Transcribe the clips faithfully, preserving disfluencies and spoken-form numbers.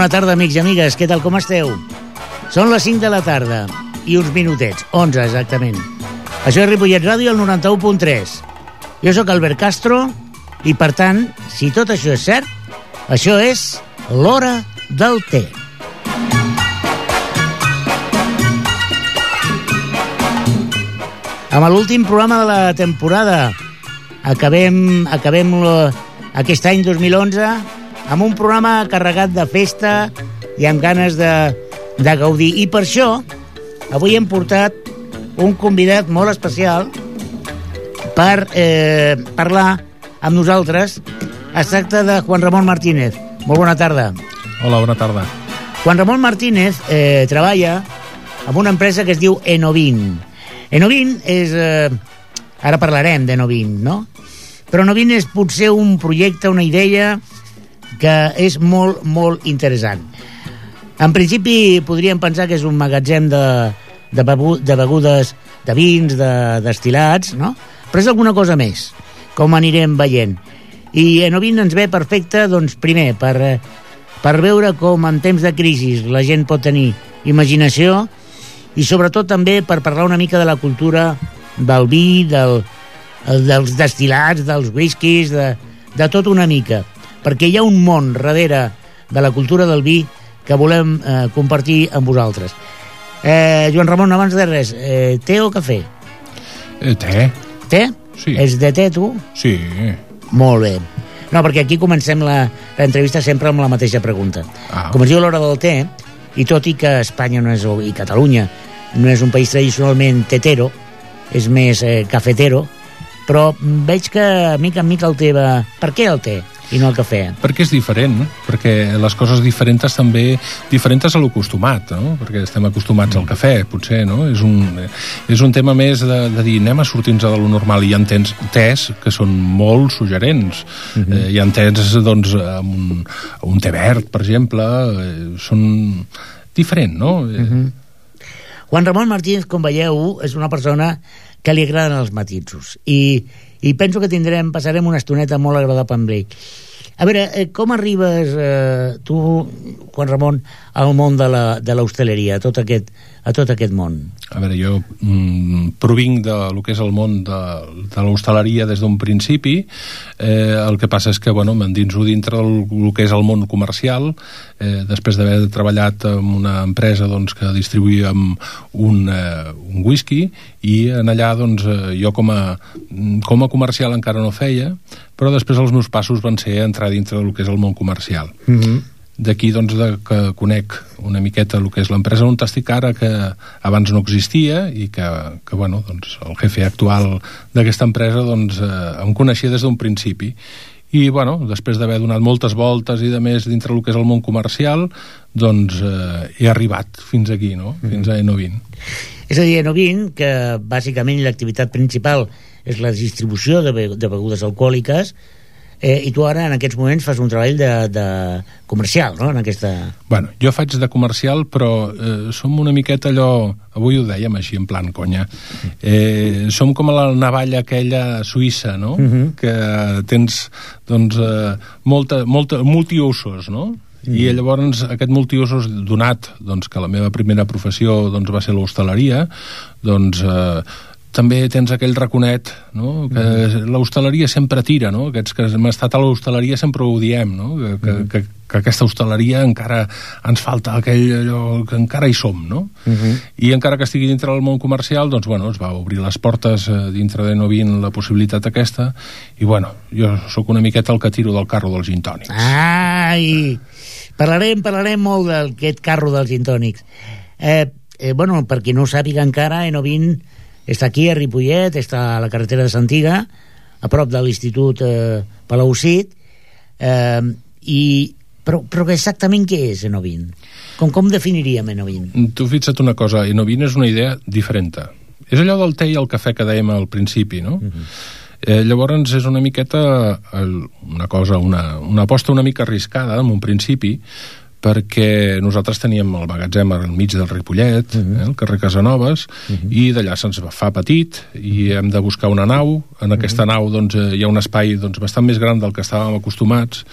bona tarda, amics i amigues. Què tal, com esteu? Són les cinc de la tarda i uns minutets, onze exactament. Això és Ripollet Ràdio, el noranta-u punt tres. Jo sóc Albert Castro i, per tant, si tot això és cert, això és l'hora del té. Amb l'últim programa de la temporada acabem, acabem aquest any dos mil onze amb un programa carregat de festa i amb ganes de, de gaudir. I per això avui hem portat un convidat molt especial per eh, parlar amb nosaltres. Es tracta de Juan Ramón Martínez. Molt bona tarda. Hola, bona tarda. Juan Ramón Martínez eh, treballa amb una empresa que es diu Enovin. Enovin és... Eh, ara parlarem d'Enovin, no? Però Enovin és potser un projecte, una idea que és molt, molt interessant. En principi podríem pensar que és un magatzem de, de, bebu, de begudes, de vins, de destil·lats, no? Però és alguna cosa més, com anirem veient. I Enovin ens ve perfecte, doncs, primer, per, per veure com en temps de crisi la gent pot tenir imaginació i sobretot també per parlar una mica de la cultura del vi, del, dels destil·lats, dels whiskies, de, de tot una mica. Perquè hi ha un món darrere de la cultura del vi que volem eh, compartir amb vosaltres. Eh, Joan Ramon, abans de res, eh, té o cafè? Eh, té. Té? Sí. És de té, tu? Sí. Molt bé. No, perquè aquí comencem l'entrevista sempre amb la mateixa pregunta. Ah. Com es diu l'hora del té, i tot i que Espanya no és, i Catalunya no és un país tradicionalment tetero, és més eh, cafetero, però veig que mica en mica el té va... Per què el té i no el cafè? Perquè és diferent, perquè les coses diferents també... diferents a l'acostumat, no? Perquè estem acostumats al cafè, potser, no? És un, és un tema més de, de dir anem a sortir-nos de lo normal. Hi ha tens, tés que són molt suggerents. Uh-huh. eh, hi ha tés, doncs, amb un, un té verd, per exemple, eh, són diferent, no? Uh-huh. Juan Ramón Martínez, com veieu, és una persona que li agraden els matisos. I, i penso que tindrem, passarem una estoneta molt agradable amb ell. A veure, eh, com arribes eh, tu, Juan Ramon, al món de la, de l'hostaleria, a tot aquest, a tot aquest món? A veure, jo mm, provinc de lo que és el món de, de l'hostaleria des d'un principi. Eh, el que passa és que, bueno, m'endinso dintre del lo que és el món comercial, eh, després d'haver treballat en una empresa, doncs, que distribuïa un, eh, un whisky, i en allà, doncs, eh, jo com a, com a comercial encara no feia, però després els meus passos van ser entrar dintre del que és el món comercial. Mm-hmm. D'aquí, doncs, de, que conec una miqueta el que és l'empresa on estic ara, que abans no existia, i que, que bueno, doncs, el jefe actual d'aquesta empresa, doncs, eh, em coneixia des d'un principi. I, bueno, després d'haver donat moltes voltes i de més dintre del que és el món comercial, doncs eh, he arribat fins aquí, no? Mm-hmm. Fins a Enovin. És a dir, Enovin, que bàsicament l'activitat principal és la distribució de, be de begudes alcohòliques, eh, i tu ara en aquests moments fas un treball de, de comercial, no? En aquesta... Bueno, jo faig de comercial, però eh, som una miqueta allò... Avui ho dèiem així, en plan conya. Eh, som com a la navalla aquella suïssa, no? Uh-huh. Que tens, doncs, eh, molta, molta, multiusos, no? Mm. I llavors aquest multiusos, donat doncs, que la meva primera professió doncs, va ser l'hostaleria, doncs eh, també tens aquell raconet, no? Que mm. l'hostaleria sempre tira, no? Aquests que hem estat a l'hostaleria sempre ho diem, no? Que, que, mm. que, que aquesta hostaleria encara ens falta aquell allò que encara hi som, no? Mm-hmm. I encara que estigui dintre del món comercial, doncs, bueno, es va obrir les portes eh, dintre d'Enovin la possibilitat aquesta, i, bueno, jo sóc una miqueta el que tiro del carro dels gin tònics. Ai! Parlarem, parlarem molt d'aquest carro dels gin tònics. Eh, eh, bueno, per qui no ho sàpiga encara, Enovin està aquí a Ripollet, està a la carretera de Santiga, a prop de l'Institut eh, Palau-Cid, eh, i, però, però exactament què és Enovin? Com, com definiríem Enovin? Tu fixa't una cosa, Enovin és una idea diferent. És allò del té i el cafè que dèiem al principi, no? Uh-huh. Eh, llavors és una miqueta el, una cosa, una, una aposta una mica arriscada en un principi, perquè nosaltres teníem el magatzem al mig del Ripollet, uh -huh. eh, al carrer Casanovas, uh -huh. i d'allà se'ns fa petit i hem de buscar una nau. En aquesta uh -huh. nau doncs, hi ha un espai doncs, bastant més gran del que estàvem acostumats,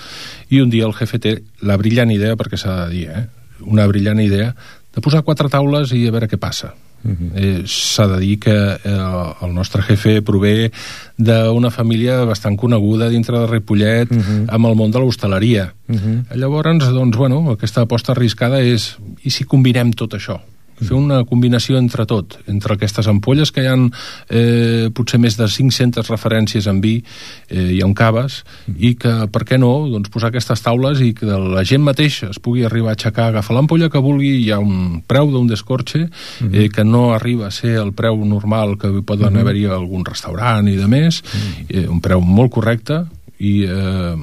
i un dia el jefe té la brillant idea, perquè s'ha de dir, eh, una brillant idea, de posar quatre taules i a veure què passa. Uh-huh. Eh, s'ha de dir que eh, el nostre jefe prové d'una família bastant coneguda dintre de Ripollet, uh-huh. amb el món de l'hostaleria. Uh-huh. Llavors, doncs, bueno, aquesta aposta arriscada és, i si combinem tot això? Fer una combinació entre tot, entre aquestes ampolles que hi ha eh, potser més de cinc-centes referències en vi eh, i en caves, i que, per què no, doncs posar aquestes taules i que la gent mateix es pugui arribar a aixecar, agafar l'ampolla que vulgui, hi ha un preu d'un descorxe eh, que no arriba a ser el preu normal que poden uh-huh. haver-hi a algun restaurant i de més, eh, un preu molt correcte, i, eh,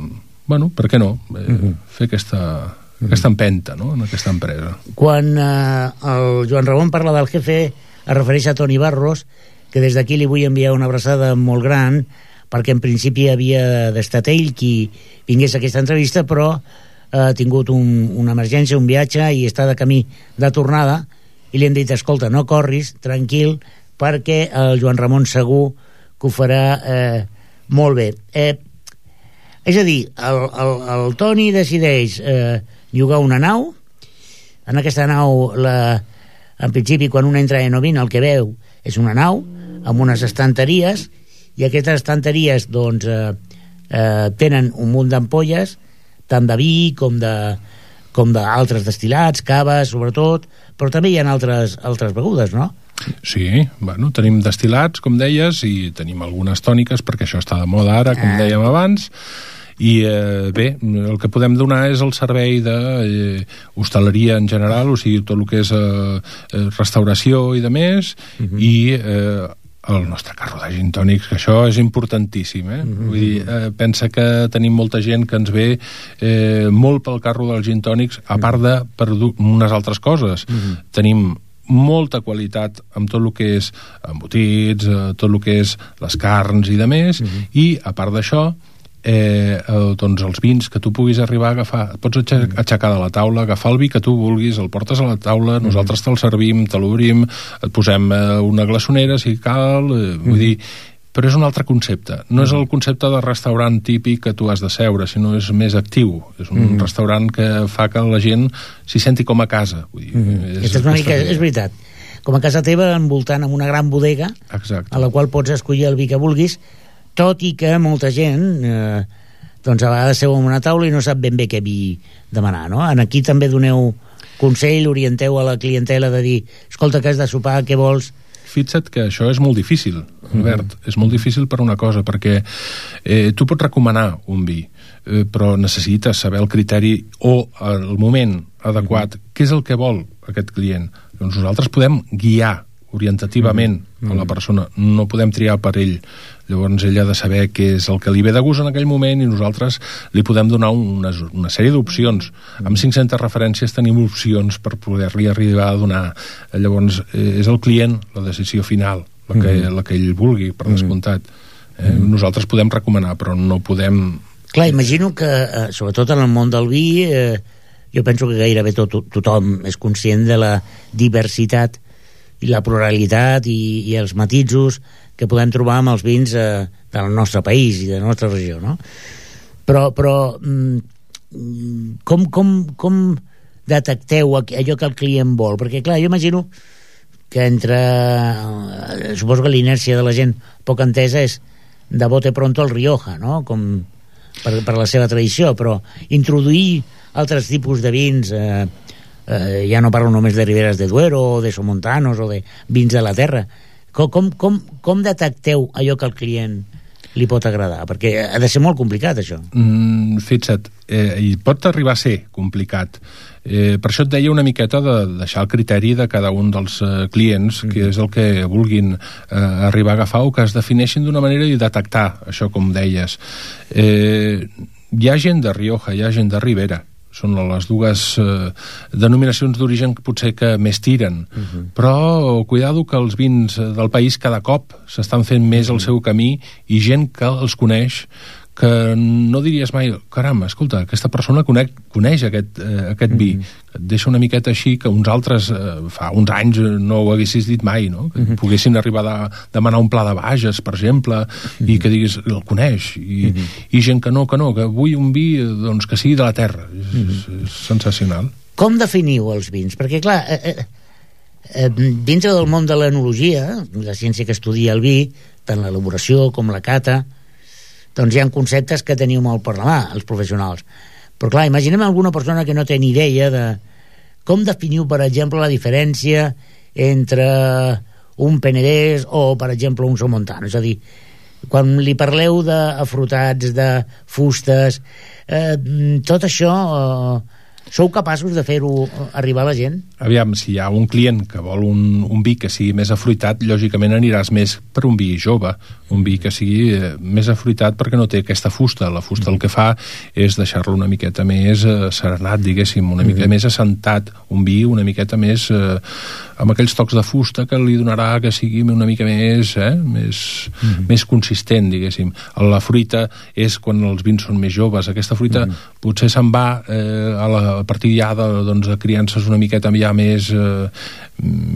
bueno, per què no, eh, uh-huh. fer aquesta... aquesta empenta, no?, en aquesta empresa. Quan eh, el Joan Ramon parla del jefe, es refereix a Toni Barros, que des d'aquí li vull enviar una abraçada molt gran, perquè en principi havia d'estat ell qui vingués a aquesta entrevista, però ha tingut un, una emergència, un viatge, i està de camí de tornada, i li hem dit, escolta, no corris, tranquil, perquè el Joan Ramon segur que ho farà eh, molt bé. Eh, és a dir, el, el, el Toni decideix eh, llogar una nau. En aquesta nau, la, en principi, quan un entra a Enovin, el que veu és una nau amb unes estanteries, i aquestes estanteries doncs, eh, eh, tenen un munt d'ampolles, tant de vi com de com d'altres destil·lats, caves, sobretot, però també hi ha altres, altres begudes, no? Sí, bueno, tenim destil·lats, com deies, i tenim algunes tòniques, perquè això està de moda ara, com dèiem abans. I eh, bé, el que podem donar és el servei de eh, hostaleria en general, o sigui, tot el que és eh, restauració i de més, uh-huh. i eh, el nostre carro de gin tònics, que això és importantíssim, eh? Uh-huh. Vull dir, eh, pensa que tenim molta gent que ens ve eh, molt pel carro dels gin tònics, a part de per unes altres coses. Uh-huh. Tenim molta qualitat amb tot el que és embotits, eh, tot el que és les carns i de més, uh-huh. i a part d'això, Eh, eh, doncs els vins que tu puguis arribar a agafar, et pots aixecar de la taula, agafar el vi que tu vulguis, el portes a la taula, nosaltres te'l servim, te l'obrim, et posem eh, una glaçonera si cal, eh, vull mm. dir, però és un altre concepte, no és el concepte de restaurant típic que tu has de seure, sinó és més actiu, és un mm. restaurant que fa que la gent s'hi senti com a casa, vull dir, mm. és, és, una mica, és veritat, com a casa teva, envoltant amb una gran bodega. Exacte. A la qual pots escollir el vi que vulguis, tot i que molta gent eh, doncs a vegades seu en una taula i no sap ben bé què vi demanar, no? En aquí també doneu consell, orienteu a la clientela de dir, escolta, que has de sopar, què vols? Fixa't que això és molt difícil, Albert, mm-hmm. és molt difícil per una cosa, perquè eh, tu pots recomanar un vi, eh, però necessites saber el criteri o el moment adequat, mm-hmm. què és el que vol aquest client. Doncs nosaltres podem guiar orientativament mm-hmm. a la persona, no podem triar per ell. Llavors ell ha de saber què és el que li ve de gust en aquell moment, i nosaltres li podem donar una, una sèrie d'opcions. Amb cinc-centes referències tenim opcions per poder-li arribar a donar. Llavors eh, és el client la decisió final, la que, mm-hmm. la que ell vulgui, per descomptat. Eh, mm-hmm. Nosaltres podem recomanar, però no podem... Clar, imagino que, eh, sobretot en el món del vi, eh, jo penso que gairebé tot, tothom és conscient de la diversitat i la pluralitat i, i els matisos que podem trobar amb els vins eh, del nostre país i de la nostra regió, no? Però, però mm, com, com, com detecteu allò que el client vol? Perquè, clar, jo imagino que entre... Eh, suposo que l'inèrcia de la gent poc entesa és de bote pronto el Rioja, no? Com per, per la seva tradició, però introduir altres tipus de vins... Eh, eh, ja no parlo només de Riberas de Duero o de Somontanos o de vins de la terra. Com, com, com, com detecteu allò que al client li pot agradar? Perquè ha de ser molt complicat, això. Mm, fixa't, eh, i pot arribar a ser complicat. Eh, per això et deia una miqueta de deixar el criteri de cada un dels eh, clients, mm. que és el que vulguin eh, arribar a agafar o que es defineixin d'una manera i detectar això, com deies. Eh, hi ha gent de Rioja, hi ha gent de Ribera, són les dues eh, denominacions d'origen que potser que més tiren, uh-huh. però cuidado que els vins del país cada cop s'estan fent més el seu camí, i gent que els coneix, que no diries mai, caram, escolta, aquesta persona conec, coneix aquest, eh, aquest vi, mm-hmm. et deixa una miqueta així que uns altres eh, fa uns anys no ho haguessis dit mai, no? Que mm-hmm. poguessin arribar a demanar un pla de Bages, per exemple, mm-hmm. i que diguis, el coneix, i, mm-hmm. i gent que no, que no, que vull un vi doncs, que sigui de la terra. És, mm-hmm. és, és sensacional. Com definiu els vins? Perquè, clar, eh, eh, eh, dintre del món de l'enologia, la ciència que estudia el vi, tant l'elaboració com la cata, doncs hi ha conceptes que teniu molt per la mà, els professionals. Però clar, imaginem alguna persona que no té ni idea de com definiu, per exemple, la diferència entre un Penedès o, per exemple, un Somontano. És a dir, quan li parleu d'afrutats, de fustes, eh, tot això... Eh, sou capaços de fer-ho arribar a la gent? Aviam, si hi ha un client que vol un, un vi que sigui més afruitat, lògicament aniràs més per un vi jove, un vi que sigui eh, més afruitat perquè no té aquesta fusta. La fusta el que fa és deixar-lo una miqueta més eh, serenat, diguéssim, una mica mm-hmm. més assentat, un vi una miqueta més eh, amb aquells tocs de fusta que li donarà que sigui una mica més eh, més, mm-hmm. més consistent, diguéssim. La fruita és quan els vins són més joves. Aquesta fruita mm-hmm. potser se'n va eh, a la a partir ja de, doncs, de criances una miqueta ja més, eh,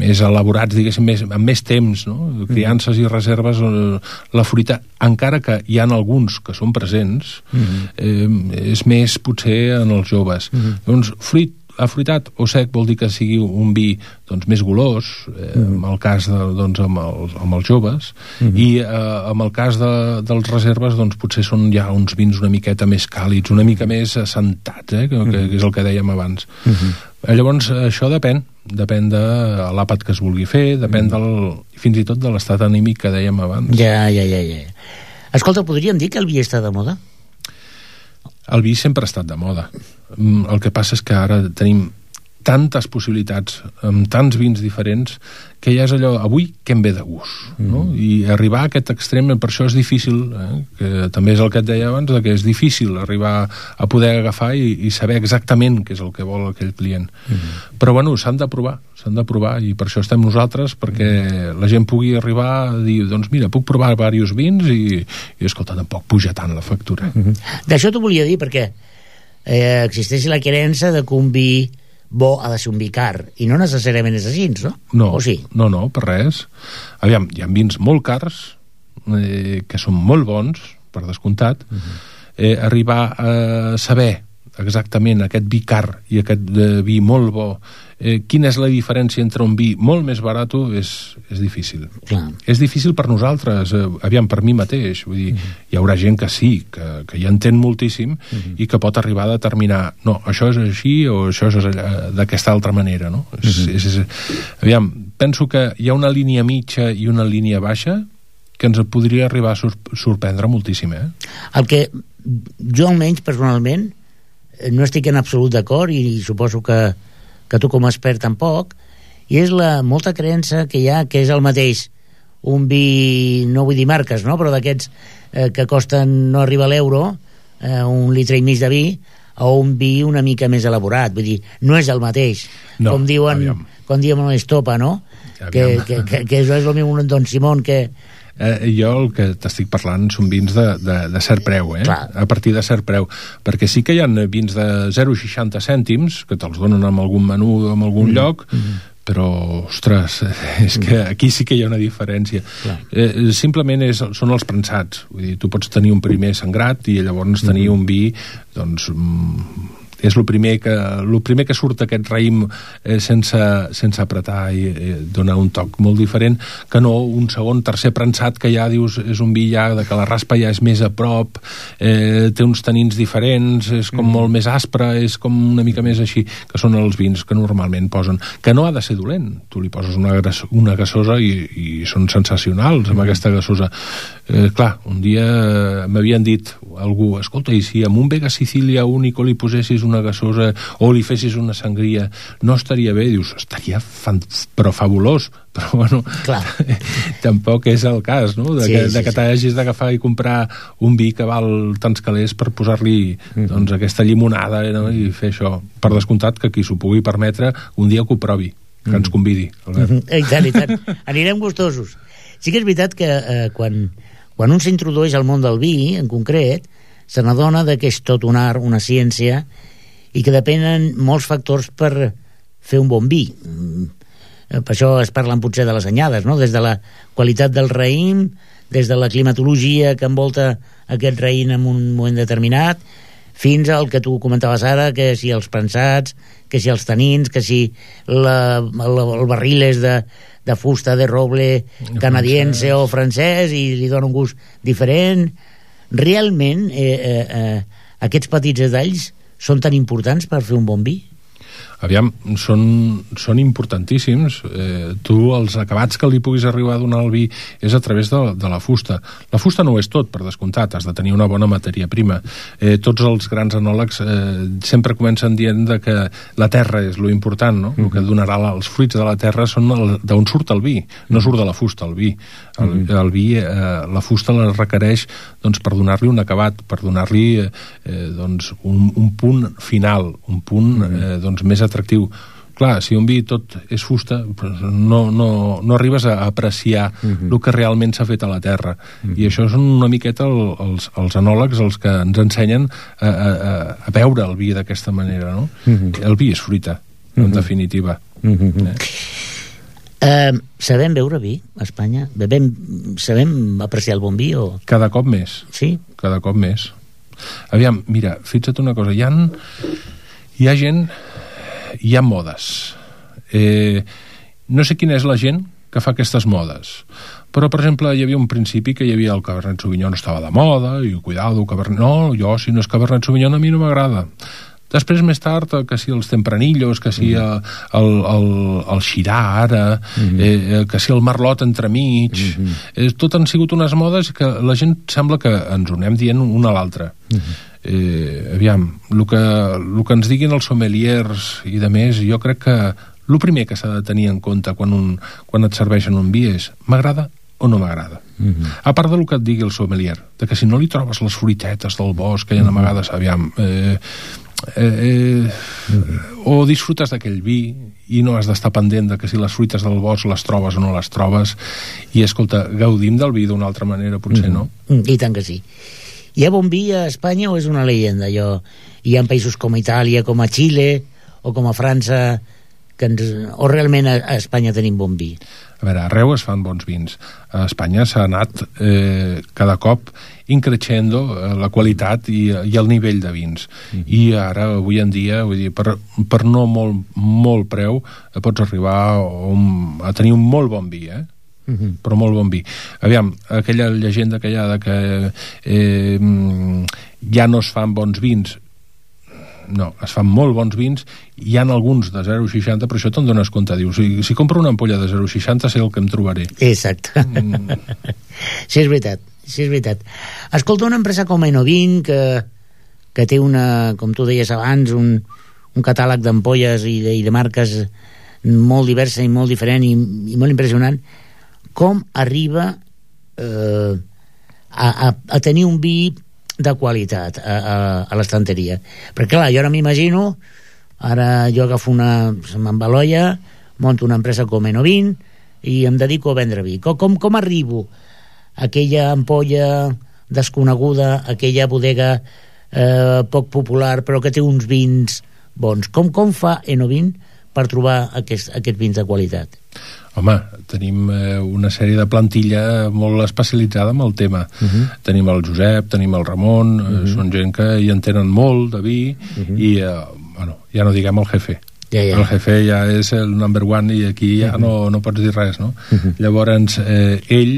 més elaborats, diguéssim, més, amb més temps, no? Criances i reserves, eh, la fruita, encara que hi ha alguns que són presents, mm-hmm. eh, és més potser en els joves. Mm-hmm. Doncs fruit afruitat o sec vol dir que sigui un vi doncs, més golós, eh, mm-hmm. en el cas de, doncs, amb, els, amb els joves, mm-hmm. i eh, en el cas de, dels reserves doncs, potser són ja uns vins una miqueta més càlids, una mica més assentats, eh, que, mm-hmm. que és el que dèiem abans. Mm-hmm. Llavors, això depèn, depèn de l'àpat que es vulgui fer, depèn mm-hmm. del, fins i tot de l'estat anímic que dèiem abans. Ja, ja, ja, ja. Escolta, podríem dir que el vi està de moda? El vi sempre ha estat de moda. El que passa és que ara tenim tantes possibilitats, amb tants vins diferents, que ja és allò, avui què em ve de gust, no? Mm. I arribar a aquest extrem, per això és difícil, eh? Que també és el que et deia abans, que és difícil arribar a poder agafar i, i saber exactament què és el que vol aquell client. Mm. Però bueno, s'han de provar, s'han de provar, i per això estem nosaltres, perquè la gent pugui arribar a dir, doncs mira, puc provar diversos vins i, i escolta, tampoc puja tant la factura. Mm-hmm. D'això t'ho volia dir, perquè eh, existeix la creença de que un vi bo ha de ser un vi car, i no necessàriament és així, no? No, o sí? no, no, per res. Aviam, hi ha vins molt cars, eh, que són molt bons, per descomptat. Uh-huh. eh, arribar a saber exactament aquest vi car i aquest eh, vi molt bo, eh, quina és la diferència entre un vi molt més barat és, és difícil. Clar. És difícil per nosaltres, eh, aviam, per mi mateix, vull dir, uh-huh. hi haurà gent que sí, que, que hi entén moltíssim uh-huh. i que pot arribar a determinar, no, això és així o això és d'aquesta altra manera, no? Uh-huh. És, és, és, aviam, penso que hi ha una línia mitja i una línia baixa que ens podria arribar a sor- sorprendre moltíssim, eh? El que jo almenys personalment no estic en absolut d'acord, i, i suposo que, que tu com a expert tampoc, i és la molta creença que hi ha que és el mateix un vi, no vull dir marques, no? Però d'aquests eh, que costen no arriba a l'euro, eh, un litre i mig de vi, o un vi una mica més elaborat, vull dir, no és el mateix, no, com diuen aviam. com diuen a l'Estopa, no? Que, que, que, que això és el meu Don Simón, que Eh, jo el que t'estic parlant són vins de, de, de cert preu, eh? Clar. A partir de cert preu, perquè sí que hi ha vins de zero coma seixanta cèntims que te'ls donen en algun menú en algun mm. lloc, mm. però ostres, és que aquí sí que hi ha una diferència. Eh, simplement és, són els prensats, vull dir, tu pots tenir un primer sangrat i llavors tenir mm. un vi doncs mm, és el primer que, el primer que surt aquest raïm eh, sense, sense apretar i eh, dona un toc molt diferent que no un segon, tercer prensat que ja dius és un vi ja de que la raspa ja és més a prop, eh, té uns tanins diferents, és com mm. molt més aspre, és com una mica més així, que són els vins que normalment posen, que no ha de ser dolent, tu li poses una, una gasosa i, i són sensacionals amb mm. aquesta gasosa. Eh, clar, un dia m'havien dit algú, escolta, i si amb un Vega Sicília único li posessis una gasosa o li fessis una sangria, no estaria bé? Dius, estaria fan... però fabulós, però bueno, tampoc és el cas, no? De, sí, que, sí, de que t'hagis d'agafar i comprar un vi que val tants calés per posar-li mm-hmm. doncs, aquesta llimonada, no? I fer això. Per descomptat que qui s'ho pugui permetre un dia que ho provi, que mm-hmm. ens convidi, Albert. Mm-hmm. I tant, i tant. Anirem gustosos. Sí que és veritat que eh, quan, quan un s'introdueix al món del vi, en concret, se n'adona que és tot un art, una ciència, i que depenen molts factors per fer un bon vi. Per això es parlen potser de les anyades, no? Des de la qualitat del raïm, des de la climatologia que envolta aquest raïm en un moment determinat, fins al que tu comentaves ara, que si els prensats, que si els tanins, que si la, la, el barril és de, de fusta de roble canadiense o francès i li dona un gust diferent. Realment eh, eh, eh, aquests petits detalls són tan importants per fer un bon vi? Aviam, són, són importantíssims. Eh, tu, els acabats que li puguis arribar a donar al vi és a través de, de la fusta. La fusta no ho és tot, per descomptat, has de tenir una bona matèria prima. Eh, tots els grans enòlegs eh, sempre comencen dient de que la terra és lo important, no? Mm-hmm. El que donarà la, els fruits de la terra són d'on surt el vi, no surt de la fusta el vi. El, mm-hmm. el vi, eh, la fusta la requereix doncs, per donar-li un acabat, per donar-li eh, doncs, un, un punt final, un punt eh, doncs, més atractiu. Clar, si un vi tot és fusta, no, no, no arribes a apreciar uh-huh. el que realment s'ha fet a la terra. Uh-huh. I això són una miqueta el, els, els enòlegs els que ens ensenyen a, a, a veure el vi d'aquesta manera, no? Uh-huh. El vi és fruita, en uh-huh. definitiva. Uh-huh. Eh? Uh, sabem beure vi a Espanya? Bebem, sabem apreciar el bon vi? O... Cada cop més. Sí? Cada cop més. Aviam, mira, fixa't una cosa, hi ha, hi ha gent, hi ha modes. Eh, no sé quina és la gent que fa aquestes modes, però, per exemple, hi havia un principi que hi havia el Cabernet Sauvignon estava de moda, i cuidado, Cabernet... No, jo, si no és Cabernet Sauvignon, a mi no m'agrada. Després, més tard, que si els Tempranillos, que si el, el, el, el Shiraz ara, mm-hmm. eh, que si el Merlot entremig, mm-hmm. eh, tot han sigut unes modes que la gent sembla que ens ho anem dient una a l'altra. Mm-hmm. Eh, aviam, el que, el que ens diguin els sommeliers i de més, jo crec que el primer que s'ha de tenir en compte quan, un, quan et serveixen un vi és m'agrada o no m'agrada. Mm-hmm. A part del que et digui el sommelier, de que si no li trobes les fruitetes del bosc que hi ha mm-hmm. amagades, aviam... Eh, Eh, eh, mm-hmm. o disfrutes d'aquell vi i no has d'estar pendent de que si les fruites del bosc les trobes o no les trobes, i escolta, gaudim del vi d'una altra manera, potser, mm-hmm. no? I tant que sí. Hi ha bon vi a Espanya o és una leyenda? Jo, hi ha països com Itàlia, com a Xile o com a França que ens, o realment a, a Espanya tenim bon vi? A veure, arreu es fan bons vins. A Espanya s'ha anat eh, cada cop increixendo eh, la qualitat i, i el nivell de vins. Mm. I ara, avui en dia, vull dir, per, per no molt, molt preu, eh, pots arribar a, a tenir un molt bon vi, eh? Mm-hmm. Però molt bon vi. Aviam, aquella llegenda que hi ha de que eh, ja no es fan bons vins, no, es fan molt bons vins, hi ha alguns de zero coma seixanta, però això te'n dones compte, dius, si, si compro una ampolla de zero coma seixanta sé el que em trobaré. Exacte. Mm. Sí, és veritat, sí, és veritat. Escolta, una empresa com Enovin, que, que té una, com tu deies abans, un, un catàleg d'ampolles i de, i de marques molt diversa i molt diferent i, i molt impressionant, com arriba eh, a, a, a tenir un vi de qualitat a, a, a l'estanteria? Perquè clar, jo ara m'imagino, ara jo agafo una, se m'embaloia, monto una empresa com Enovin i em dedico a vendre vi. Com, com, com arribo a aquella ampolla desconeguda, aquella bodega eh, poc popular però que té uns vins bons? Com, com fa Enovin per trobar aquest, aquests vins de qualitat? Home, tenim eh, una sèrie de plantilla molt especialitzada en el tema. Uh-huh. Tenim el Josep, tenim el Ramon, uh-huh. eh, són gent que hi entenen molt de vi, uh-huh. i, eh, bueno, ja no diguem el jefe. Ja, ja. El jefe ja és el number one i aquí ja uh-huh. no, no pots dir res, no? Uh-huh. Llavors, eh, ell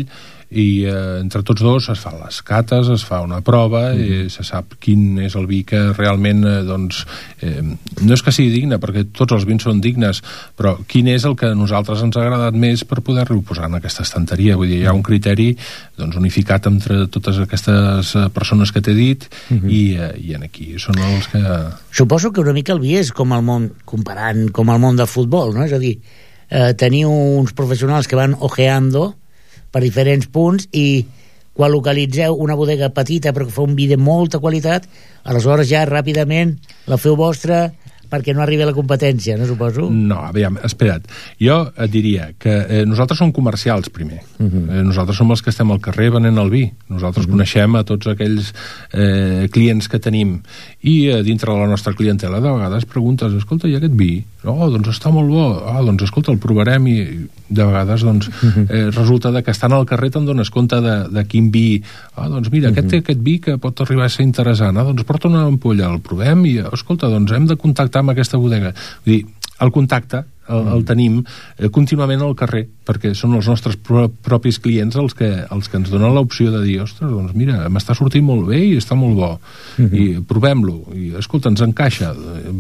i eh, entre tots dos es fan les cates, es fa una prova mm. i se sap quin és el vi que realment eh, doncs, eh, no és que sigui digne, perquè tots els vins són dignes, però quin és el que a nosaltres ens ha agradat més per poder-lo posar en aquesta estanteria. Vull dir, hi ha un criteri doncs, unificat entre totes aquestes persones que t'he dit mm-hmm. i, eh, i en aquí són els que... Suposo que una mica el vi és com el món, comparant com el món del futbol, no? És a dir, eh, teniu uns professionals que van ojeando per diferents punts i quan localitzeu una bodega petita però que fa un vi de molta qualitat, aleshores ja ràpidament la feu vostra, perquè no arribi a la competència, no suposo? No, aviam, espera't. Jo et diria que eh, nosaltres som comercials, primer. Uh -huh. eh, nosaltres som els que estem al carrer venent el vi. Nosaltres uh -huh. coneixem a tots aquells eh, clients que tenim. I eh, dintre de la nostra clientela, de vegades preguntes, escolta, i aquest vi? Oh, doncs està molt bo. Ah, doncs escolta, el provarem, i de vegades doncs, uh -huh. eh, resulta de que estan al carrer te'n dones compte de, de quin vi. Ah, doncs mira, uh -huh. aquest té aquest vi que pot arribar a ser interessant. Ah, doncs porta una ampolla, el provem i, escolta, doncs hem de contactar amb aquesta bodega. Vull dir, el contacte el, el tenim eh, contínuament al carrer, perquè són els nostres pro propis clients els que, els que ens donen l'opció de dir, ostres, doncs mira, m'està sortint molt bé i està molt bo, uh -huh. i provem-lo, i escolta, ens encaixa, eh,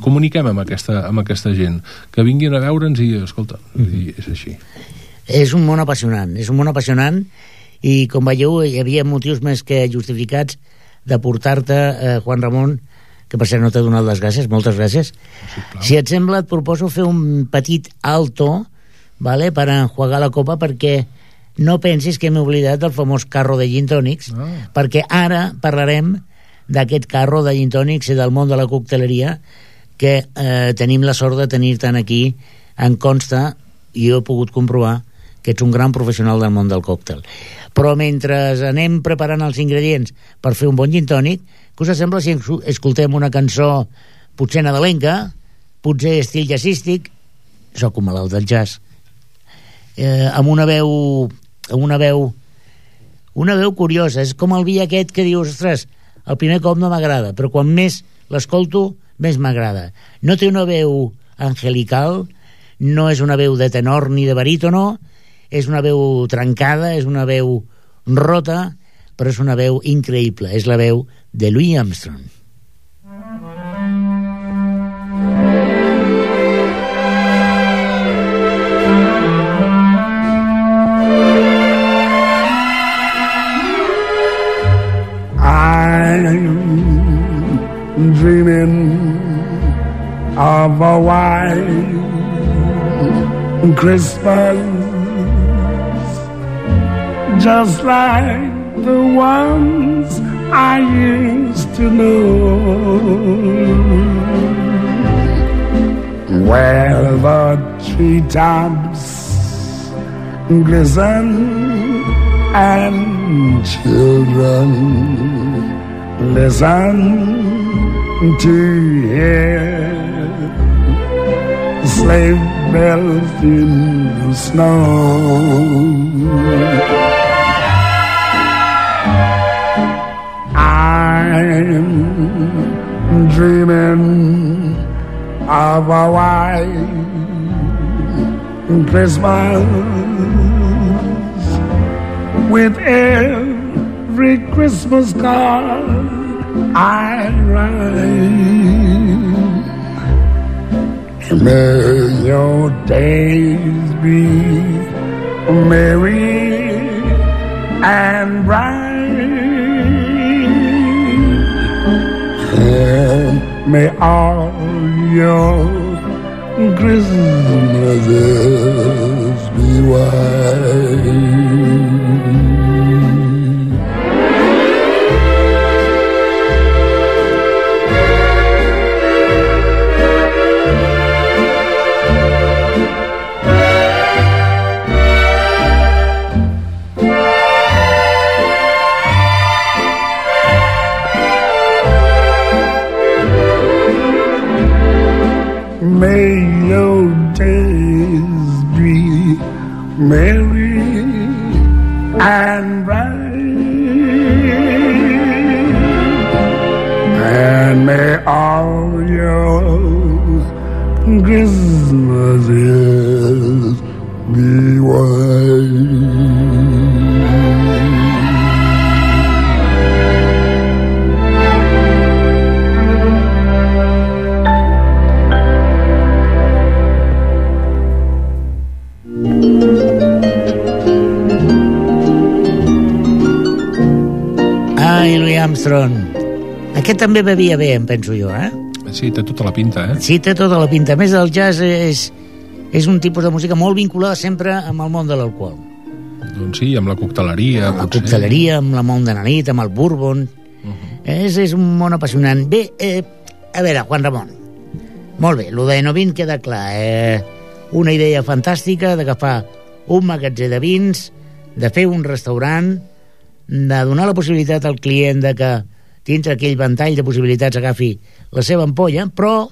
comuniquem amb aquesta, amb aquesta gent, que vinguin a veure'ns i, escolta, uh -huh. i és així. És un món apassionant, és un món apassionant, i com veieu hi havia motius més que justificats de portar-te, eh, Juan Ramon, que per cert no t'he donat les gràcies, moltes gràcies. Sí, si et sembla, et proposo fer un petit alto, vale, per enjuagar la copa, perquè no pensis que m'he oblidat del famós carro de gin tònics, ah. perquè ara parlarem d'aquest carro de gin tònics i del món de la cocteleria que eh, tenim la sort de tenir-te'n aquí. En consta, i jo he pogut comprovar, que ets un gran professional del món del còctel. Però mentre anem preparant els ingredients per fer un bon gin tònic, què us sembla si escoltem una cançó potser nadalenca, potser estil jazzístic, soc un malalt del jazz, eh, amb una veu amb una veu una veu curiosa, és com el vi aquest que dius, ostres, el primer cop no m'agrada, però quan més l'escolto més m'agrada. No té una veu angelical, no és una veu de tenor ni de barítono, és una veu trencada, és una veu rota, però és una veu increïble, és la veu de Louis Armstrong. I'm dreaming of a white Christmas, just like the ones I used to know, where the treetops glisten and children listen to hear sleigh bells in the snow. I'm dreaming of a white Christmas, with every Christmas card I write. May your days be merry and bright, and may all your Christmases be white. May your days be merry and bright, and may all your Christmases be white. Ai, Louis Armstrong. Aquest també bevia bé, em penso jo, eh? Sí, té tota la pinta, eh? Sí, té tota la pinta. A més, el jazz és, és un tipus de música molt vinculada sempre amb el món de l'alcohol. Doncs sí, amb la cocteleria. Amb la cocteleria, amb la món de la nit, amb el bourbon. Uh -huh. és, és un món apassionant. Bé, eh, a veure, Juan Ramon, Molt bé, lo de Enovin queda clar. Eh? Una idea fantàstica d'agafar un magatzem de vins, de fer un restaurant, de donar la possibilitat al client de que dintre aquell ventall de possibilitats agafi la seva ampolla, però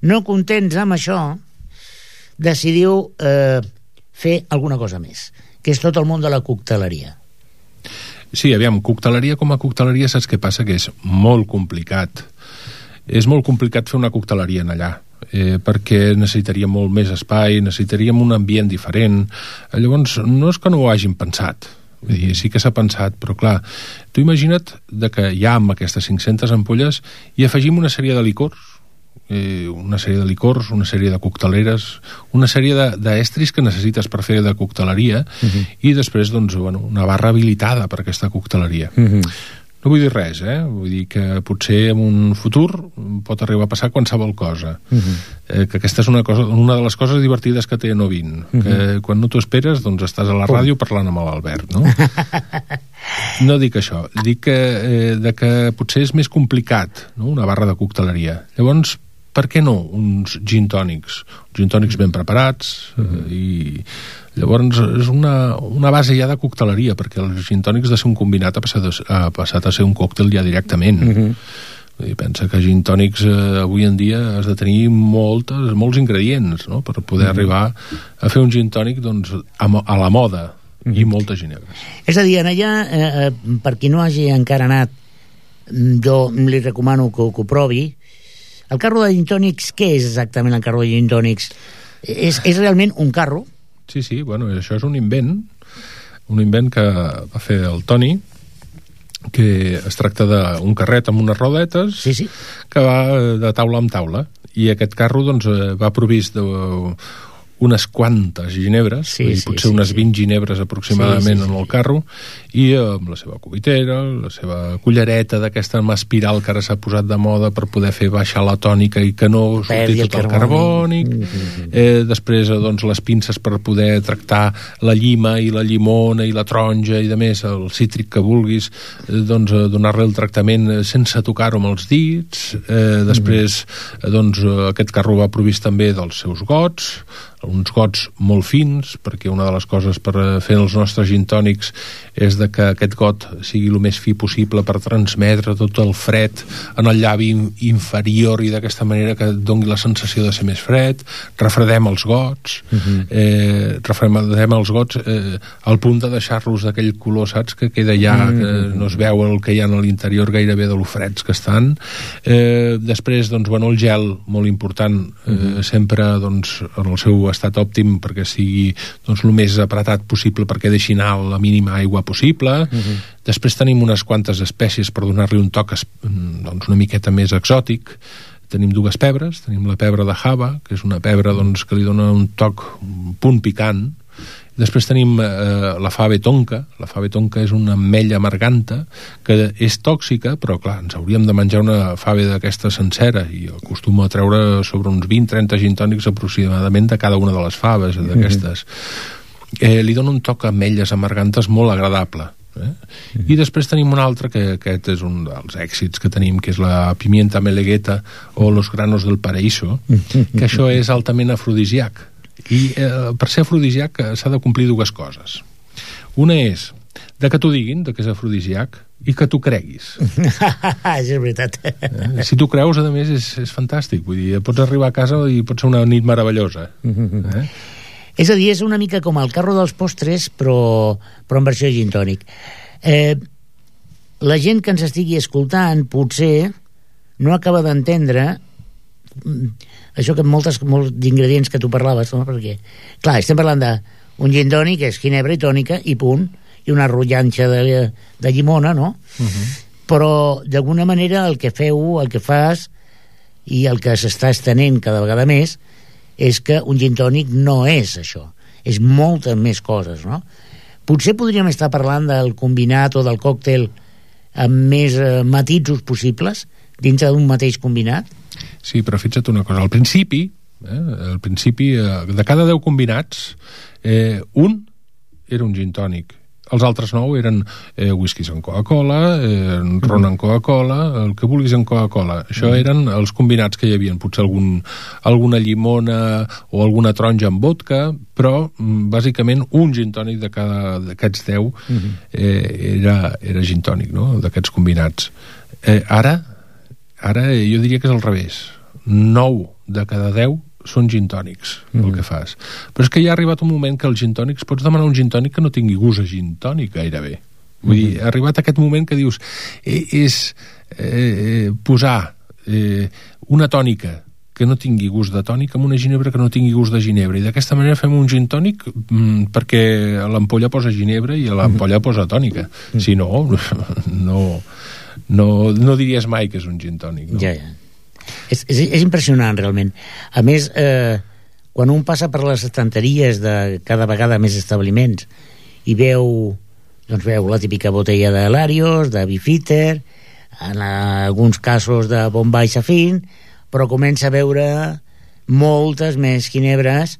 no contents amb això decidiu eh, fer alguna cosa més, que és tot el món de la cocteleria. Sí, aviam, cocteleria com a cocteleria, saps què passa? Que és molt complicat. És molt complicat fer una cocteleria en allà, eh, perquè necessitaríem molt més espai, necessitaríem un ambient diferent. Llavors, no és que no ho hagin pensat, vull dir, sí que s'ha pensat, però clar, tu imagina't de que ja amb aquestes cinc-centes ampolles hi afegim una sèrie de licors, eh, una sèrie de licors, una sèrie de cocteleres, una sèrie d'estris que necessites per fer de cocteleria, uh-huh. i després, doncs, bueno, una barra habilitada per aquesta cocteleria. Uh-huh. No vull dir res, eh? Vull dir que potser en un futur pot arribar a passar qualsevol cosa. Uh-huh. Eh, que aquesta és una, cosa, una de les coses divertides que té Enovin. Uh-huh. Que quan no t'ho esperes, doncs estàs a la ràdio parlant amb l'Albert, no? No dic això. Dic que, eh, de que potser és més complicat, no?, una barra de cocteleria. Llavors, per què no uns gin tònics? Gin tònics ben preparats, uh-huh. eh, i... Llavors és una, una base ja de cocteleria, perquè els gin tònics de ser un combinat ha passat a, ha passat a ser un còctel ja directament. Uh-huh. I pensa que gin tònics eh, avui en dia has de tenir moltes, molts ingredients, no?, per poder uh-huh. arribar a fer un gin tònic, doncs, a, a la moda, uh-huh. i moltes ginebres. És a dir, en allà, eh, per qui no hagi encara anat, jo li recomano que, que ho provi. El carro de gin tònics, què és exactament el carro de gin tònics? És, és realment un carro? Sí, sí, bueno, això és un invent, un invent que va fer el Toni, que es tracta d'un carret amb unes rodetes, sí, sí. que va de taula en taula, i aquest carro, doncs, va provist de unes quantes ginebres, sí, dir, sí, potser sí, unes sí. vint ginebres aproximadament sí, sí, sí. en el carro, i amb la seva cubitera, la seva cullereta d'aquesta amb espiral que ara s'ha posat de moda per poder fer baixar la tònica i que no surti tot el carbònic, mm-hmm. eh, després doncs, les pinces per poder tractar la llima i la llimona i la taronja i de més, el cítric que vulguis, eh, doncs donar-li el tractament sense tocar-ho amb els dits, eh, després mm-hmm. doncs aquest carro va provist també dels seus gots, uns gots molt fins, perquè una de les coses per fer els nostres gin tònics és de que aquest got sigui el més fi possible per transmetre tot el fred en el llavi inferior i d'aquesta manera que et doni la sensació de ser més fred. Refredem els gots, uh-huh. eh, refredem els gots eh, al punt de deixar-los d'aquell color, saps, que queda ja, uh-huh. que no es veu el que hi ha a l'interior gairebé de lo freds que estan. Eh, després, doncs, bueno, el gel, molt important, eh, uh-huh. sempre, doncs, en el seu estat òptim perquè sigui doncs, el més apretat possible perquè deixi anar la mínima aigua possible. Uh-huh. Després tenim unes quantes espècies per donar-li un toc doncs, una miqueta més exòtic. Tenim dues pebres, tenim la pebre de Java, que és una pebre doncs, que li dona un toc, un punt picant. Després tenim eh, la fave tonka. La fave tonka és una ametlla amarganta que és tòxica, però clar, ens hauríem de menjar una fave d'aquesta sencera i acostumo a treure sobre uns vint a trenta gin tònics aproximadament de cada una de les faves d'aquestes. Mm-hmm. Eh, li dona un toc a ametlles amargantes molt agradable. Eh? Mm-hmm. I després tenim un altre que aquest és un dels èxits que tenim, que és la pimienta melegueta o los granos del paraíso, mm-hmm. que això és altament afrodisíac. I eh, per ser afrodisíac s'ha de complir dues coses. Una és de que t'ho diguin, de que és afrodisíac, i que tu creguis. És veritat. Eh? Si tu creus, a més, és, és fantàstic. Vull dir, pots arribar a casa i pot ser una nit meravellosa. Eh? És a dir, és una mica com el carro dels postres, però, però en versió gin tònic. Eh, la gent que ens estigui escoltant potser no acaba d'entendre això que moltes, molts d'ingredients que tu parlaves, no? Perquè, clar, estem parlant d'un gin tònic, que és ginebra i tònica, i punt, i una rotllanxa de, de llimona, no? Uh-huh. Però, d'alguna manera, el que feu, el que fas, i el que s'està estenent cada vegada més, és que un gin tònic no és això. És moltes més coses, no? Potser podríem estar parlant del combinat o del còctel amb més eh, matisos possibles, dintre d'un mateix combinat? Sí, però fixa't una cosa, al principi, eh, al principi, eh, de cada deu combinats, eh, un era un gin tònic, Els altres nou eren eh, whiskies amb Coca-Cola, eh, ron amb Coca-Cola, el que vulguis amb Coca-Cola. Això eren els combinats que hi havia, potser algun, alguna llimona o alguna taronja amb vodka, però bàsicament un gin tònic de cada d'aquests deu eh, era, era gin tònic, no?, d'aquests combinats. Eh, ara, ara jo diria que és al revés. nou de cada deu són gin tònics, mm. el que fas. Però és que ja ha arribat un moment que els gin tònics, pots demanar un gin tònic que no tingui gust a gin tònic gairebé. Vull mm. dir, ha arribat aquest moment que dius eh, és eh, posar eh, una tònica que no tingui gust de tònic amb una ginebra que no tingui gust de ginebra, i d'aquesta manera fem un gin tònic mm, perquè a l'ampolla posa ginebra i a l'ampolla posa tònica. Mm. Si no, no, no, no diries mai que és un gin tònic, no? Ja, ja. És, és, és impressionant, realment. A més, eh, quan un passa per les estanteries de cada vegada més establiments i veu, doncs veu la típica botella de Larios, de Beefeater, en alguns casos de Bombay Safin, però comença a veure moltes més ginebres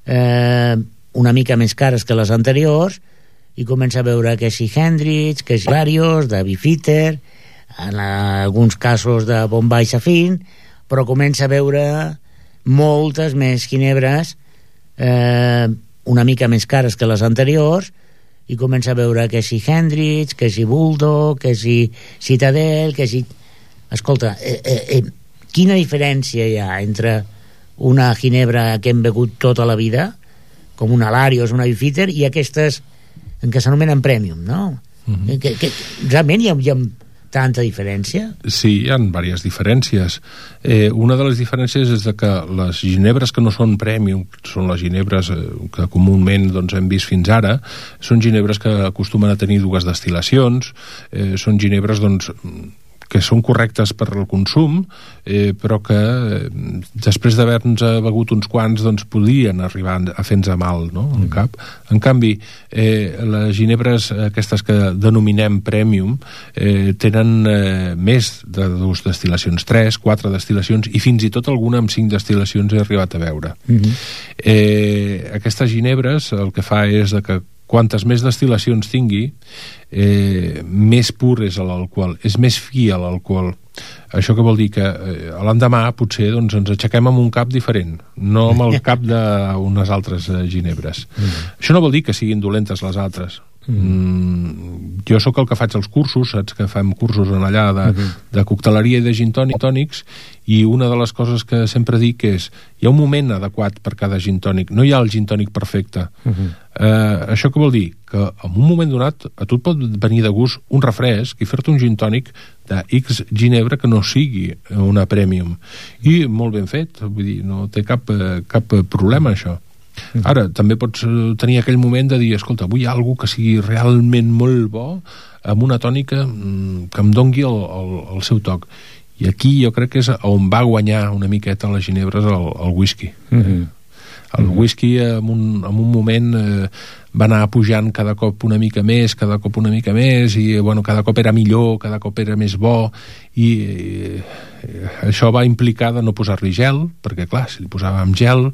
eh, una mica més cares que les anteriors, i comença a veure que si Hendrix, que si Larios, de Beefeater, en alguns casos de Bombay Safin, però comença a veure moltes més ginebres eh, una mica més cares que les anteriors, i comença a veure que si Hendrix, que si Bulldog, que si Citadel, que si... Escolta, eh, eh, eh, quina diferència hi ha entre una ginebra que hem begut tota la vida, com una Larios, una Beefeater, i aquestes en què s'anomenen Premium, no? Mm-hmm. que, que, realment hi ha, hi ha tanta diferència? Sí, hi ha diverses diferències. Eh, una de les diferències és de que les ginebres que no són premium, són les ginebres eh, que comúment doncs, hem vist fins ara, són ginebres que acostumen a tenir dues destil·lacions, eh, són ginebres doncs, que són correctes per al consum, eh, però que eh, després d'haver-nos begut uns quants doncs podrien arribar a fer-nos mal, no?, en cap. En canvi, eh, les ginebres aquestes que denominem premium eh, tenen eh, més de dues destil·lacions, tres, quatre destil·lacions, i fins i tot alguna amb cinc destil·lacions he arribat a veure. Mm-hmm. eh, aquestes ginebres el que fa és de que quantes més destil·lacions tingui, eh, més pur és l'alcohol, és més fi a l'alcohol. Això que vol dir que eh, l'endemà potser doncs, ens aixequem amb un cap diferent, no amb el cap d'unes altres eh, ginebres. Mm. Això no vol dir que siguin dolentes les altres. Mm, jo sóc el que faig els cursos, saps que fem cursos en allà de, uh-huh. de cocteleria i de gin tònics, i una de les coses que sempre dic és hi ha un moment adequat per cada gin tònic, no hi ha el gin tònic perfecte. Uh-huh. eh, això què vol dir? Que en un moment donat a tu et pot venir de gust un refresc i fer-te un gin tònic de X ginebra que no sigui una premium, i molt ben fet, vull dir, no té cap, cap problema això. Ara, també pots tenir aquell moment de dir, escolta, vull algo que sigui realment molt bo, amb una tònica que em dongui el, el, el seu toc. I aquí jo crec que és on va guanyar una miqueta les ginebres el, el whisky. Mm-hmm. El whisky en un, en un moment eh, va anar pujant cada cop una mica més, cada cop una mica més, i bueno, cada cop era millor, cada cop era més bo, i eh, això va implicar de no posar-li gel, perquè clar, si li posàvem gel,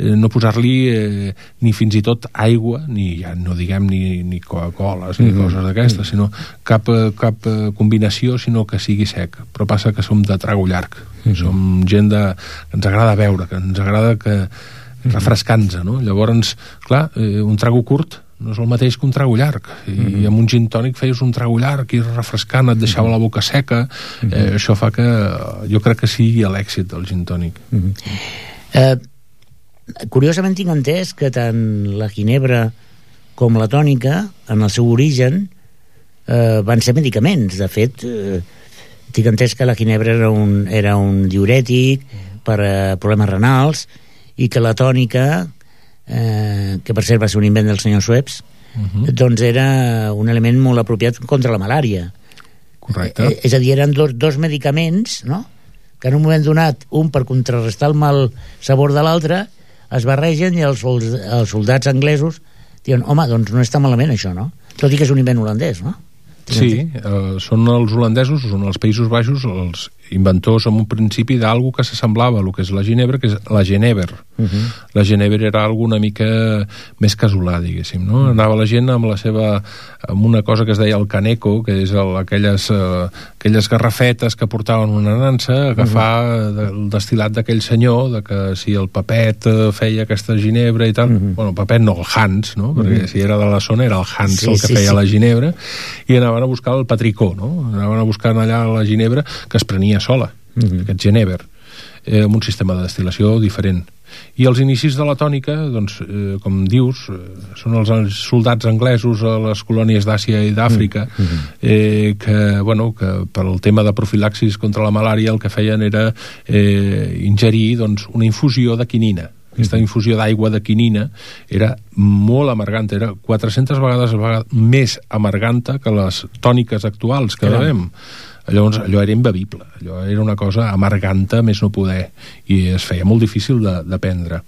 eh, no posar-li eh, ni fins i tot aigua, ni ja no diguem ni, ni Coca-Coles, ni mm-hmm. coses d'aquestes, sinó cap, cap combinació, sinó que sigui sec. Però passa que som de trago llarg, mm-hmm. som gent de, que ens agrada beure, que ens agrada que refrescant-se, no? Llavors, clar, eh, un trago curt no és el mateix que un trago llarg, i mm-hmm. amb un gin tònic feies un trago llarg i refrescant, et deixava la boca seca. Mm-hmm. eh, això fa que jo crec que sigui l'èxit del gin tònic. Mm-hmm. eh, curiosament tinc entès que tant la ginebra com la tònica en el seu origen eh, van ser medicaments. De fet, eh, tinc entès que la ginebra era un, era un diurètic per a problemes renals, i que la tònica, eh, que per cert va ser un invent del senyor Schweppes, uh-huh. doncs era un element molt apropiat contra la malària. Correcte. Eh, és a dir, eren dos, dos medicaments, no?, que en un moment donat, un per contrarrestar el mal sabor de l'altre, es barregen, i els, els soldats anglesos diuen, home, doncs no està malament això, no? Tot i que és un invent holandès, no? Sí, eh, són els holandesos, són els Països Baixos els, inventors en un principi d'algú que s'assemblava a el que és la ginebra, que és la genever. Uh -huh. La genever era algo una mica més casolà, diguéssim, no? Uh -huh. Anava la gent amb la seva, amb una cosa que es deia el caneco, que és el, aquelles, uh, aquelles garrafetes que portaven una nansa, agafar uh -huh. el destil·lat d'aquell senyor, de que si el Papet uh, feia aquesta ginebra i tal, uh -huh. bueno, el Papet no, el Hans, no? Perquè uh -huh. si era de la zona era el Hans sí, el que sí, feia sí. la ginebra, i anaven a buscar el patricó, no? Anaven a buscar allà la ginebra que es prenia sola, uh -huh. aquest genever, eh, amb un sistema de destil·lació diferent. I els inicis de la tònica, doncs, eh, com dius, eh, són els soldats anglesos a les colònies d'Àsia i d'Àfrica, uh -huh. eh, que, bueno, que per el tema de profilaxis contra la malària el que feien era eh, ingerir, doncs, una infusió de quinina. Aquesta infusió d'aigua de quinina era molt amarganta, era quatre-centes vegades més amarganta que les tòniques actuals que bevem. Llavors, allò era imbevible, allò era una cosa amarganta més no poder, i es feia molt difícil de, de prendre.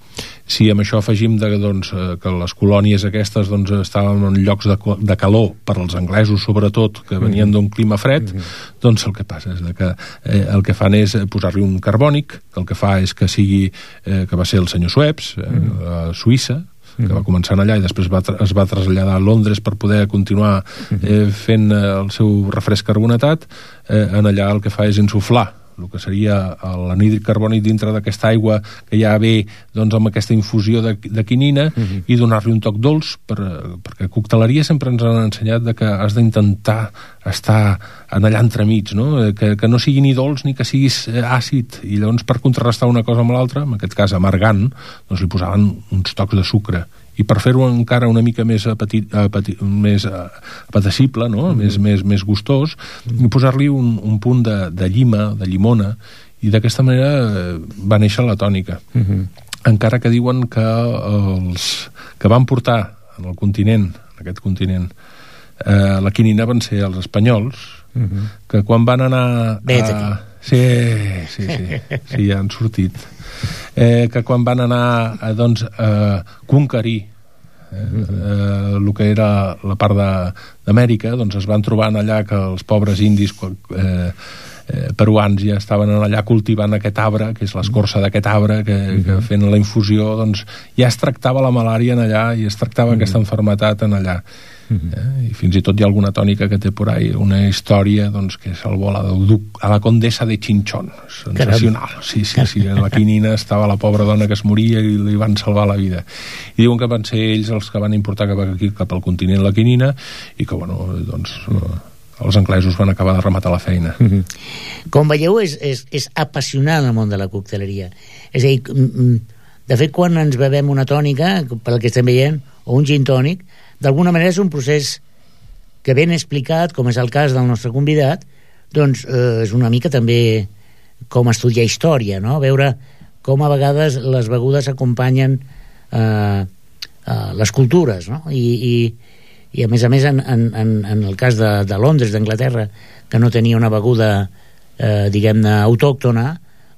Si amb això afegim de, doncs, que les colònies aquestes doncs, estaven en llocs de, de calor, per als anglesos sobretot, que venien d'un clima fred, mm-hmm. doncs el que passa és que eh, el que fan és posar-li un carbònic, que el que fa és que sigui, eh, que va ser el senyor Schweppes, eh, mm-hmm. a Suïssa, que va començar allà i després va es va traslladar a Londres per poder continuar eh, fent eh, el seu refresc carbonatat. Eh, en allà el que fa és insuflar el que seria l'anhídrid carbònic dintre d'aquesta aigua que ja ve doncs, amb aquesta infusió de, de quinina uh-huh. i donar-li un toc dolç per, perquè a cocteleria sempre ens han ensenyat de que has d'intentar estar en allà entremig, no? Que, que no sigui ni dolç ni que siguis àcid, i llavors per contrarrestar una cosa amb l'altra, en aquest cas amargant, doncs li posaven uns tocs de sucre, i per fer-ho encara una mica més apetit, apetit, més apetecible, no? Mm-hmm. més, més, més gustós, mm-hmm. posar-li un, un punt de, de llima, de llimona, i d'aquesta manera va néixer la tònica. Mm-hmm. Encara que diuen que els que van portar en el continent, en aquest continent, eh, la quinina van ser els espanyols, mm-hmm. que quan van anar a... Sí, sí, sí, sí, ja han sortit. Eh, que quan van anar a, doncs, a conquerir eh, eh, el que era la part d'Amèrica, doncs es van trobar allà que els pobres indis eh, eh, peruans ja estaven allà cultivant aquest arbre, que és l'escorça d'aquest arbre, que, que fent la infusió doncs ja es tractava la malària en allà i es tractava mm-hmm. aquesta enfermetat en allà. Eh? I fins i tot hi ha alguna tònica que té por ahí una història doncs, que salvó a la, a la condessa de Chinchón, sensacional. Sí, sí, sí, en la quinina estava la pobra dona que es moria i li van salvar la vida, i diuen que van ser ells els que van importar cap aquí, cap al continent la quinina, i que bueno, doncs els anglesos van acabar de rematar la feina. Com veieu, és, és, és apassionant el món de la cocteleria. És a dir, de fet, quan ens bevem una tònica, pel que estem veient, o un gin tònic, d'alguna manera és un procés que ben explicat, com és el cas del nostre convidat, doncs eh, és una mica també com estudiar història, no? Veure com a vegades les begudes acompanyen eh, eh, les cultures, no? I, i, i a més a més en, en, en el cas de, de Londres, d'Anglaterra, que no tenia una beguda eh, diguem-ne autòctona,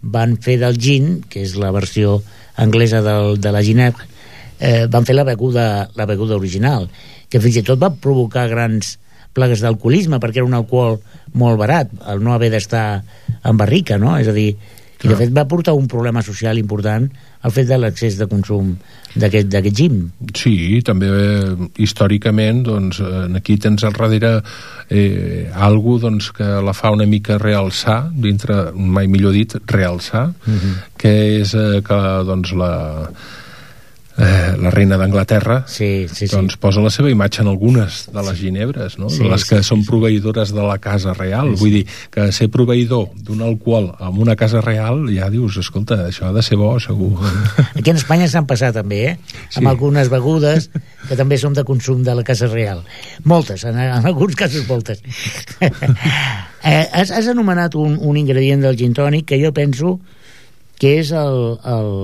van fer del gin, que és la versió anglesa del, de la ginebra, Eh, van fer la beguda, la beguda original, que fins i tot va provocar grans plagues d'alcoholisme, perquè era un alcohol molt barat, el no haver d'estar en barrica, no? És a dir, i de fet va portar un problema social important el fet de l'excés de consum d'aquest d'aquest gin. Sí, també eh, històricament doncs, aquí tens al darrere eh, algú doncs, que la fa una mica realçar, dintre, mai millor dit, realçar, uh-huh. que és eh, que doncs la Eh, la reina d'Anglaterra sí, sí, doncs sí. posa la seva imatge en algunes de les ginebres, no? Sí, les que sí, són sí. proveïdores de la casa real, sí, sí. Vull dir que ser proveïdor d'un alcohol en una casa real, ja dius, escolta, això ha de ser bo, segur. Aquí en Espanya s'han passat també, eh? Sí. Amb algunes begudes que també són de consum de la casa real. Moltes, en, en alguns casos moltes. eh, has, has anomenat un, un ingredient del gin tònic que jo penso que és el, el,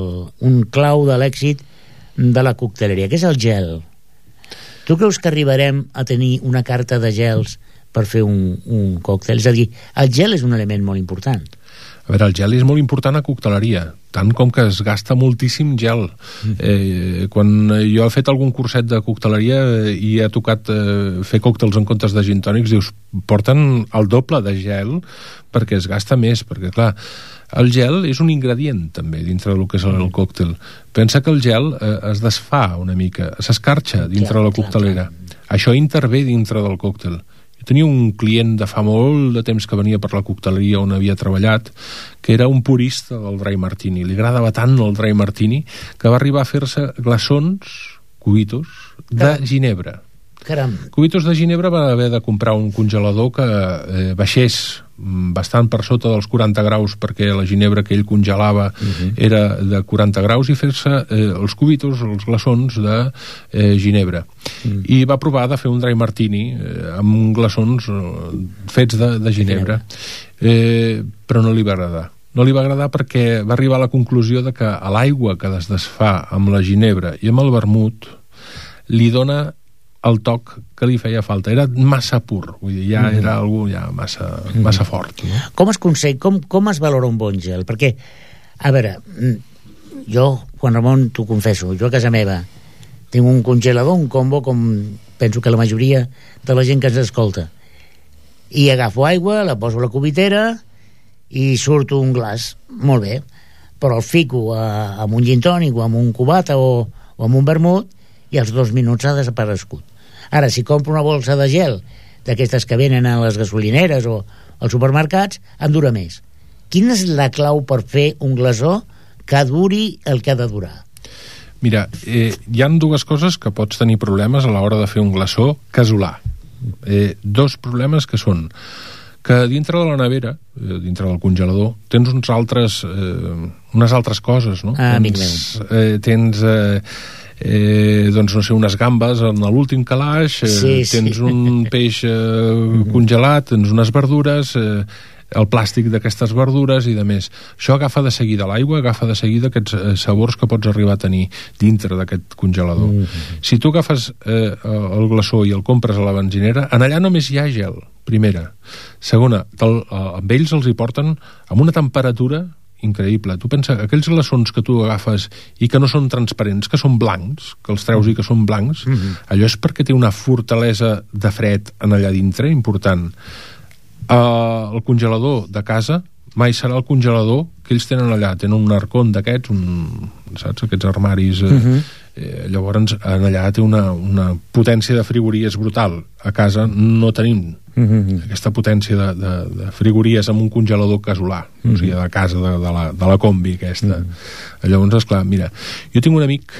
un clau de l'èxit de la cocteleria, que és el gel. Tu creus que arribarem a tenir una carta de gels per fer un, un còctel? És a dir, el gel és un element molt important. A veure, el gel és molt important a cocteleria, tant com que es gasta moltíssim gel. Eh, quan jo he fet algun curset de cocteleria i he tocat eh, fer còctels en comptes de gin tònics, dius, porten el doble de gel perquè es gasta més, perquè clar, el gel és un ingredient també dintre del que és el còctel. Pensa que el gel eh, es desfà una mica, s'escarxa dintre clar, de la coctelera. Clar, clar. Això intervé dintre del còctel. Jo tenia un client de fa molt de temps que venia per la cocteleria on havia treballat, que era un purista del dry martini. Li agradava tant el dry martini que va arribar a fer-se glaçons, cubitos, de Caram. ginebra. Caram. Cubitos de ginebra va haver de comprar un congelador que eh, baixés bastant per sota dels quaranta graus, perquè la ginebra que ell congelava uh-huh. era de quaranta graus, i fer-se eh, els cubitos, els glaçons de eh, ginebra. Uh-huh. I va provar de fer un dry martini eh, amb glaçons eh, fets de, de ginebra. Eh, però no li va agradar. No li va agradar perquè va arribar a la conclusió de que a l'aigua que es desfà amb la ginebra i amb el vermut li dona el toc que li feia falta. Era massa pur, vull dir, ja mm. era algú ja massa, mm. massa fort. No? Com es consell, com, com es valora un bon gel? Perquè, a veure, jo, Juan Ramon, t'ho confesso, jo a casa meva tinc un congelador, un combo, com penso que la majoria de la gent que ens escolta. I agafo aigua, la poso a la cubitera i surto un glaç. Molt bé. Però el fico a, amb un gin tònic o amb un cubata o, o amb un vermut i als dos minuts ha desaparegut. Ara, si compro una bolsa de gel d'aquestes que venen a les gasolineres o als supermercats, em dura més. Quina és la clau per fer un glaçó que duri el que ha de durar? Mira, eh, hi ha dues coses que pots tenir problemes a l'hora de fer un glaçó casolà. Eh, dos problemes que són que dintre de la nevera, eh, dintre del congelador, tens uns altres, eh, unes altres coses, no? Ah, amic meu. Eh, tens... Eh, Eh, doncs no sé, unes gambes en l'últim calaix, eh, sí, tens sí. un peix eh, congelat, tens unes verdures, eh, el plàstic d'aquestes verdures i de més. Això agafa de seguida l'aigua, agafa de seguida aquests eh, sabors que pots arribar a tenir dintre d'aquest congelador. Mm -hmm. Si tu agafes eh, el glaçó i el compres a la benzinera, en allà només hi ha gel, primera. Segona, tel, eh, amb ells els hi porten amb una temperatura increïble. Tu pensa, aquells glaçons que tu agafes i que no són transparents, que són blancs, que els treus i que són blancs, mm-hmm. allò és perquè té una fortalesa de fred en allà dintre, important. Uh, el congelador de casa mai serà el congelador que ells tenen allà. Tenen un arcón d'aquests, un, saps, aquests armaris... Eh, mm-hmm. eh, llavors, en allà té una, una potència de frigories brutal. A casa no tenim Mm-hmm. aquesta potència de, de, de frigories amb un congelador casolà, mm-hmm. o sigui, de casa de, de, la, de la combi aquesta. Mm-hmm. Llavors, esclar, mira, jo tinc un amic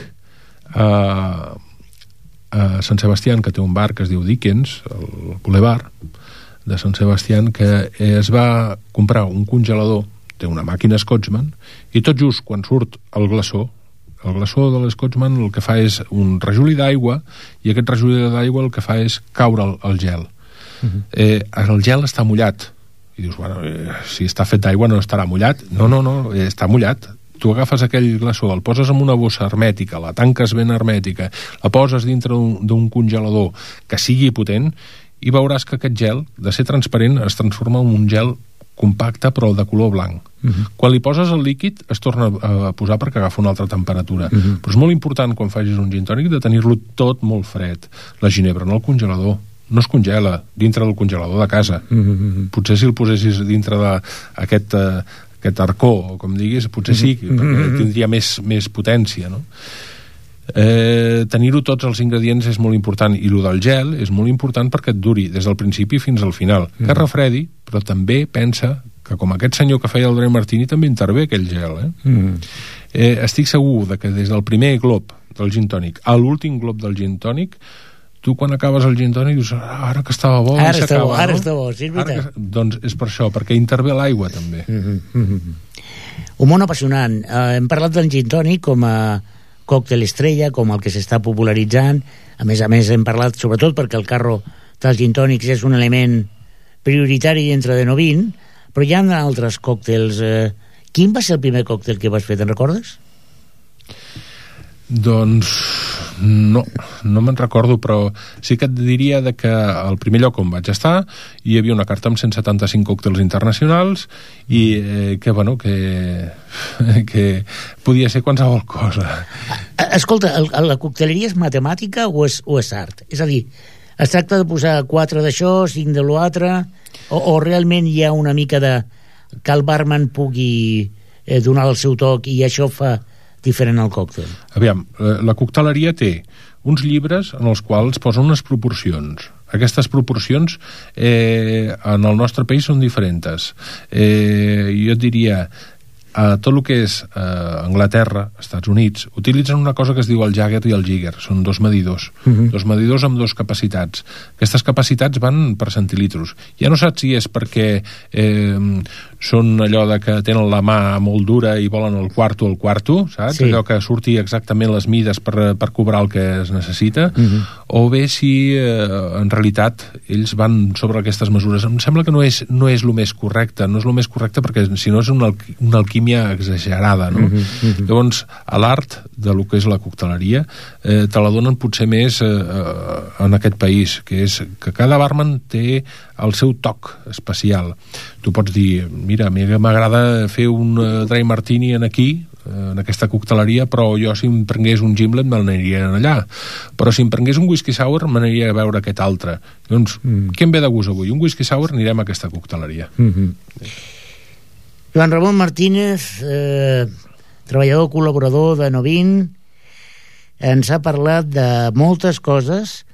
a, a Sant Sebastián que té un bar que es diu Dickens, el Boulevard de Sant Sebastián, que es va comprar un congelador, té una màquina Scotchman, i tot just quan surt el glaçó, el glaçó de l'Scotchman el que fa és un rajolí d'aigua, i aquest rajolí d'aigua el que fa és caure el, el gel. Uh-huh. Eh, el gel està mullat i dius, bueno, eh, si està fet d'aigua no estarà mullat. No, no, no, eh, està mullat. Tu agafes aquell glaçó, el poses en una bossa hermètica, la tanques ben hermètica, la poses dintre d'un congelador que sigui potent i veuràs que aquest gel, de ser transparent, es transforma en un gel compacte però de color blanc. Uh-huh. Quan li poses el líquid es torna a posar perquè agafa una altra temperatura. Uh-huh. Però és molt important quan facis un gin tònic de tenir-lo tot molt fred. La ginebra en el congelador no es congela dintre del congelador de casa. Mm-hmm. Potser si el posessis dintre d'aquest uh, aquest arcó, com diguis, potser sí, mm-hmm. perquè tindria més, més potència, no? Eh, tenir-ho tots els ingredients és molt important, i el del gel és molt important perquè et duri des del principi fins al final. Mm-hmm. Que refredi, però també pensa que com aquest senyor que feia el Dry Martini també intervé aquell gel. Eh? Mm-hmm. Eh, estic segur de que des del primer glob del gin tònic a l'últim glob del gin tònic, tu quan acabes el gin tònic dius, ah, ara que estava bo, ara està bo, no? ara està bo, sí, és veritat. Que... Doncs és per això, perquè intervé l'aigua també. Mm-hmm. Mm-hmm. Un món apassionant. Eh, hem parlat del gin tònic com a còctel estrella, com el que s'està popularitzant. A més a més hem parlat, sobretot perquè el carro dels gin tònics és un element prioritari dintre de Novin, però hi ha altres còctels. Eh, quin va ser el primer còctel que vas fer, te'n recordes? Doncs No, no me'n recordo, però sí que et diria de que al primer lloc on vaig estar hi havia una carta amb cent setanta-cinc còctels internacionals i eh, que, bueno, que, que podia ser qualsevol cosa. Escolta, el, la cocteleria és matemàtica o és, o és art? És a dir, es tracta de posar quatre d'això, cinc de l'altre, o, o realment hi ha una mica de que el barman pugui eh, donar el seu toc i això fa diferent al còctel? Aviam, la cocteleria té uns llibres en els quals posen unes proporcions. Aquestes proporcions eh, en el nostre país són diferents. Eh, jo et diria, a tot el que és eh, Anglaterra, Estats Units, utilitzen una cosa que es diu el Jagger i el Jigger. Són dos medidors. Uh-huh. Dos medidors amb dos capacitats. Aquestes capacitats van per centilitros. Ja no saps si és perquè eh, són allò de que tenen la mà molt dura i volen el quarto al quarto, saps? Sí. Allò que surti exactament les mides per, per cobrar el que es necessita, uh-huh. o bé si eh, en realitat ells van sobre aquestes mesures. Em sembla que no és, no és el més correcte, no és el més correcte perquè si no és una, una alquímia exagerada, no? Uh-huh, uh-huh. Llavors, a l'art de lo que és la cocteleria eh, te la donen potser més eh, en aquest país, que és que cada barman té el seu toc especial. Tu pots dir, mira, a mi m'agrada fer un uh, dry martini en aquí, en aquesta cocteleria, però jo si em prengués un gimlet me n'aniria allà, però si em prengués un whisky sour me n'aniria a veure aquest altre. Doncs, mm. què em ve de gust avui? Un whisky sour, anirem a aquesta cocteleria. Mm-hmm. Joan Ramon Martínez, eh, treballador col·laborador de Novin, ens ha parlat de moltes coses.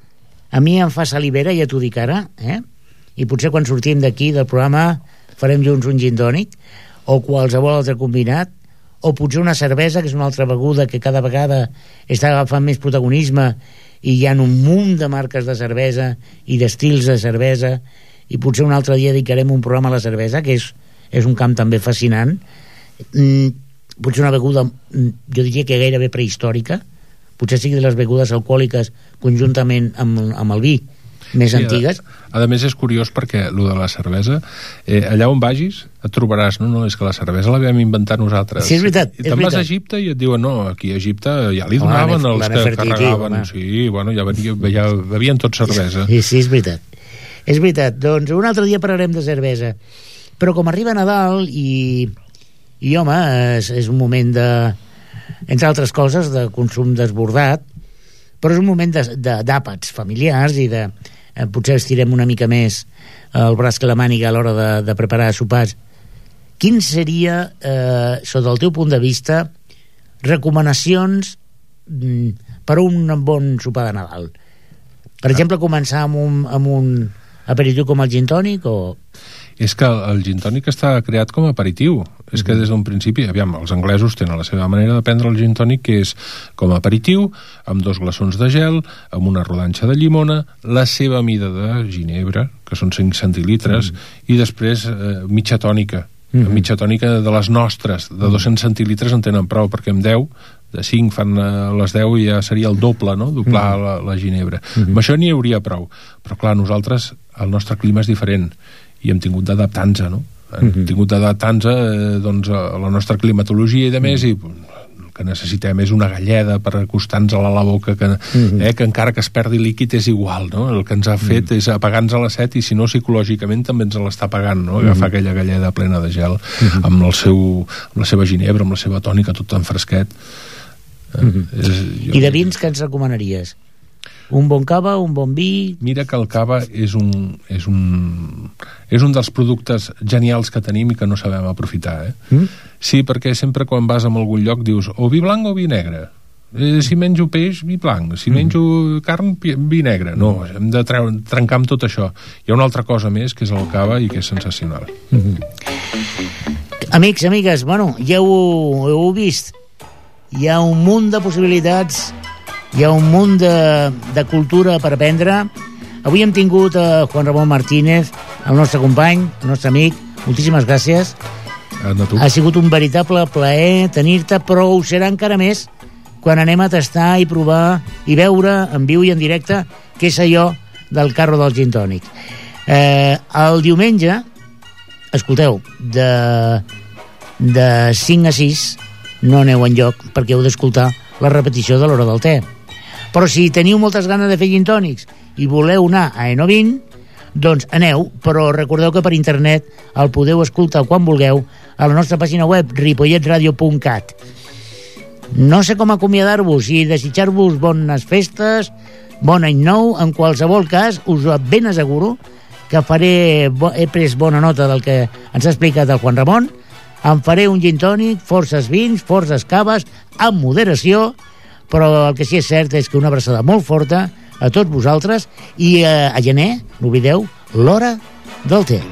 A mi em fa salivera, ja t'ho dic ara, eh? I potser quan sortim d'aquí del programa farem junts un gin tònic o qualsevol altre combinat, o potser una cervesa, que és una altra beguda que cada vegada està agafant més protagonisme i hi ha un munt de marques de cervesa i d'estils de cervesa, i potser un altre dia dedicarem un programa a la cervesa, que és, és un camp també fascinant. Mm, potser una beguda, jo diria que gairebé prehistòrica, potser sigui de les begudes alcohòliques conjuntament amb, amb el vi més sí, antigues. A, a més és curiós perquè el de la cervesa, eh, allà on vagis et trobaràs, no, no, és que la cervesa la vam inventar nosaltres. Sí, és veritat. I te'n vas a Egipte i et diuen, no, aquí a Egipte ja li donaven oh, els que carregaven. Home. Sí, bueno, ja, venia, ja bevien tot cervesa. Sí, sí, és veritat. És veritat. Doncs un altre dia parlarem de cervesa. Però com arriba Nadal i, i home, és, és un moment de, entre altres coses, de consum desbordat, però és un moment d'àpats familiars i de eh, potser estirem una mica més el braç que la màniga a l'hora de, de preparar sopars. Quin seria, eh, sota el teu punt de vista, recomanacions mm, per a un bon sopar de Nadal? Per exemple, començar amb un, amb un aperitiu com el gin tònic o... És que el gin tònic està creat com a aperitiu. Mm-hmm. És que des d'un principi, aviam, els anglesos tenen la seva manera de prendre el gin tònic, que és com a aperitiu, amb dos glaçons de gel, amb una rodanxa de llimona, la seva mida de ginebra, que són cinc centilitres, mm-hmm. i després eh, mitja tònica. Mm-hmm. Mitja tònica de les nostres, de dos-cents centilitres en tenen prou, perquè amb deu, de cinc fan a les deu i ja seria el doble, no?, doblar mm-hmm. la, la ginebra. Mm-hmm. Amb això n'hi hauria prou. Però clar, nosaltres, el nostre clima és diferent, i hem tingut d'adaptar-nos, no? Hem uh-huh. tingut d'adaptar-nos eh, doncs, a la nostra climatologia i de més, uh-huh. i el que necessitem és una galleda per acostar-nos a la boca, que, uh-huh. eh, que encara que es perdi líquid és igual, no? El que ens ha fet uh-huh. és apagar-nos a la set, i si no psicològicament també ens l'està apagant, no? Agafar uh-huh. aquella galleda plena de gel, uh-huh. amb, el seu, amb la seva ginebra, amb la seva tònica, tot tan fresquet. Eh, uh-huh. és, jo... I de vins què ens recomanaries? Un bon cava, un bon vi... Mira que el cava és un, és un, és un dels productes genials que tenim i que no sabem aprofitar, eh? Mm? Sí, perquè sempre quan vas a algun lloc dius o vi blanc o vi negre. Eh, si menjo peix, vi blanc. Si mm. menjo carn, vi negre. No, hem de treure, trencar amb tot això. Hi ha una altra cosa més, que és el cava, i que és sensacional. Mm-hmm. Amics, amigues, bueno, ja ho, ho heu vist. Hi ha un munt de possibilitats, hi ha un munt de, de cultura per aprendre. Avui hem tingut a Juan Ramon Martínez, el nostre company, el nostre amic. Moltíssimes gràcies. Ha sigut un veritable plaer tenir-te, però ho serà encara més quan anem a tastar i provar i veure en viu i en directe què és allò del carro del gin tònic. Eh, el diumenge, escolteu, de, de cinc a sis no aneu enlloc perquè heu d'escoltar la repetició de l'Hora del Te. Però si teniu moltes ganes de fer gin tònics i voleu anar a Enovin, doncs aneu, però recordeu que per internet el podeu escoltar quan vulgueu a la nostra pàgina web ripollet radio punt cat. No sé com acomiadar-vos i desitjar-vos bones festes, bon any nou. En qualsevol cas, us ben asseguro que faré, he pres bona nota del que ens ha explicat el Juan Ramon. Em faré un gin tònic, forces vins, forces caves, amb moderació, però el que sí és cert és que una abraçada molt forta a tots vosaltres i eh, a gener, no oblideu, l'hora del té.